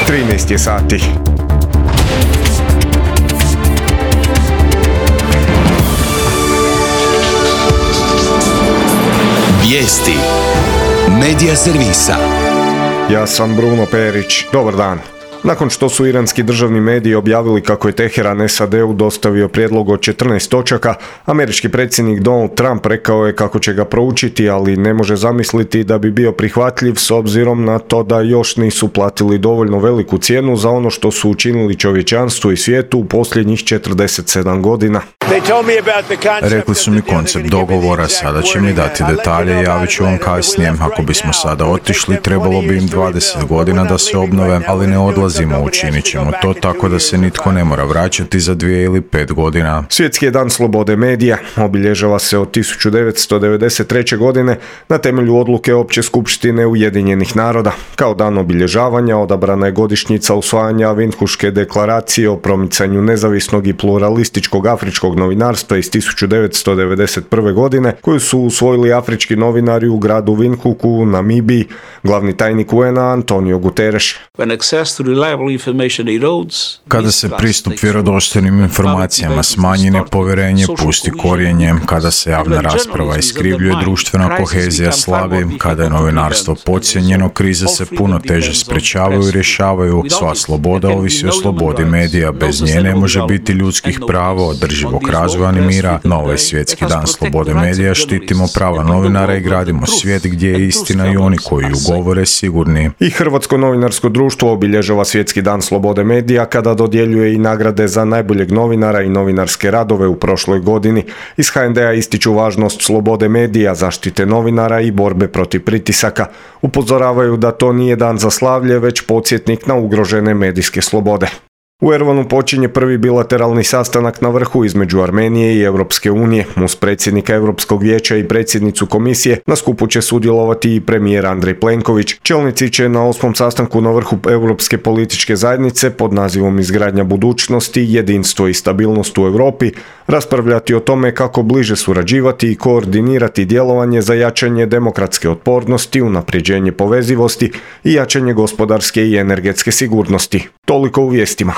13 je sati. Vijesti Medija servisa. Ja sam Bruno Perić. Dobar dan. Nakon što su iranski državni mediji objavili kako je Teheran SAD-u dostavio prijedlog od 14 točaka, američki predsjednik Donald Trump rekao je kako će ga proučiti, ali ne može zamisliti da bi bio prihvatljiv s obzirom na to da još nisu platili dovoljno veliku cijenu za ono što su učinili čovječanstvu i svijetu u posljednjih 47 godina. Rekli su mi koncept dogovora, sada će mi dati detalje i javit ću vam kasnije. Ako bismo sada otišli, trebalo bi im 20 godina da se obnove, ali ne odlazimo, učinit ćemo to tako da se nitko ne mora vraćati za 2 ili 5 godina. Svjetski je dan slobode medija. Obilježava se od 1993. godine na temelju odluke Opće skupštine Ujedinjenih naroda. Kao dan obilježavanja odabrana je godišnjica usvajanja Windhuške deklaracije o promicanju nezavisnog i pluralističkog afričkog novinarstva iz 1991. godine, koju su usvojili afrički novinari u gradu Windhoeku u Namibiji, glavni tajnik UN-a Antonio Guterres. Kada se pristup vjerodostojnim informacijama smanji, nepovjerenje pusti korijenje, kada se javna rasprava iskrivljuje, društvena kohezija slabi, kada je novinarstvo podcijenjeno, krize se puno teže sprečavaju i rješavaju. Sva sloboda ovisi o slobodi medija, bez nje ne može biti ljudskih prava, održivog razvoja ni mira. Na ovaj svjetski dan slobode medija štitimo prava novinara i gradimo svijet gdje je istina i oni koji ju govore sigurni. I Hrvatsko novinarsko društvo obilježava svjetski dan slobode medija kada dodjeljuje i nagrade za najboljeg novinara i novinarske radove u prošloj godini. Iz HND-a ističu važnost slobode medija, zaštite novinara i borbe protiv pritisaka. Upozoravaju da to nije dan za slavlje, već podsjetnik na ugrožene medijske slobode. U Erevanu počinje prvi bilateralni sastanak na vrhu između Armenije i Europske unije. Uz predsjednika Europskog vijeća i predsjednicu komisije na skupu će sudjelovati i premijer Andrej Plenković. Čelnici će na 8. sastanku na vrhu Europske političke zajednice pod nazivom Izgradnja budućnosti, jedinstvo i stabilnost u Europi raspravljati o tome kako bliže surađivati i koordinirati djelovanje za jačanje demokratske otpornosti, unapređenje povezivosti i jačanje gospodarske i energetske sigurnosti. Toliko u vijestima.